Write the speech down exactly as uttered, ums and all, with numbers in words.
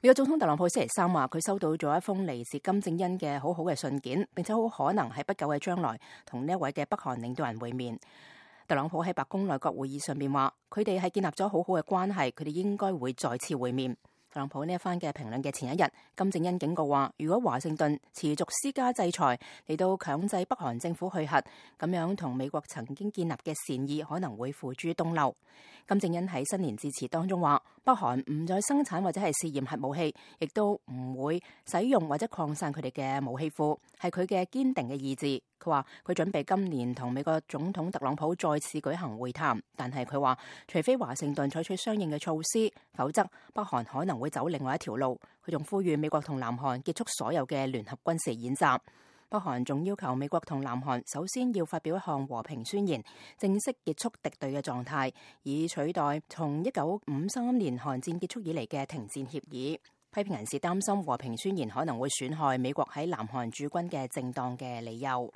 美國總統特朗普星期三話，佢收到咗一封嚟自金正恩嘅好好嘅信件，並且好可能喺不久嘅將來同呢一位嘅北韓領導人會面。特朗普喺白宮內閣會議上面話，佢哋係建立咗好好嘅關係，佢哋應該會再次會面。特朗普呢一番嘅評論嘅前一日，金正恩警告話，如果華盛頓持續施加制裁嚟到強制北韓政府去核，咁樣同美國曾經建立嘅善意可能會付諸東流。金正恩喺新年致辭當中話，北韓唔再生產或者係試驗核武器，亦都唔會使用或者擴散佢哋嘅武器庫，係佢嘅堅定嘅意志。佢話佢準備今年同美國總統特朗普再次舉行會談，但係佢話除非華盛頓採取相應嘅措施，否則北韓可能會走另外一條路。佢仲呼籲美國同南韓結束所有嘅聯合軍事演習。北韓仲要求美國同南韓首先要發表一項和平宣言，正式結束敵對嘅狀態，以取代從一九五三年韓戰結束以嚟嘅停戰協議。批評人士擔心和平宣言可能會損害美國喺南韓駐軍嘅正當嘅理由。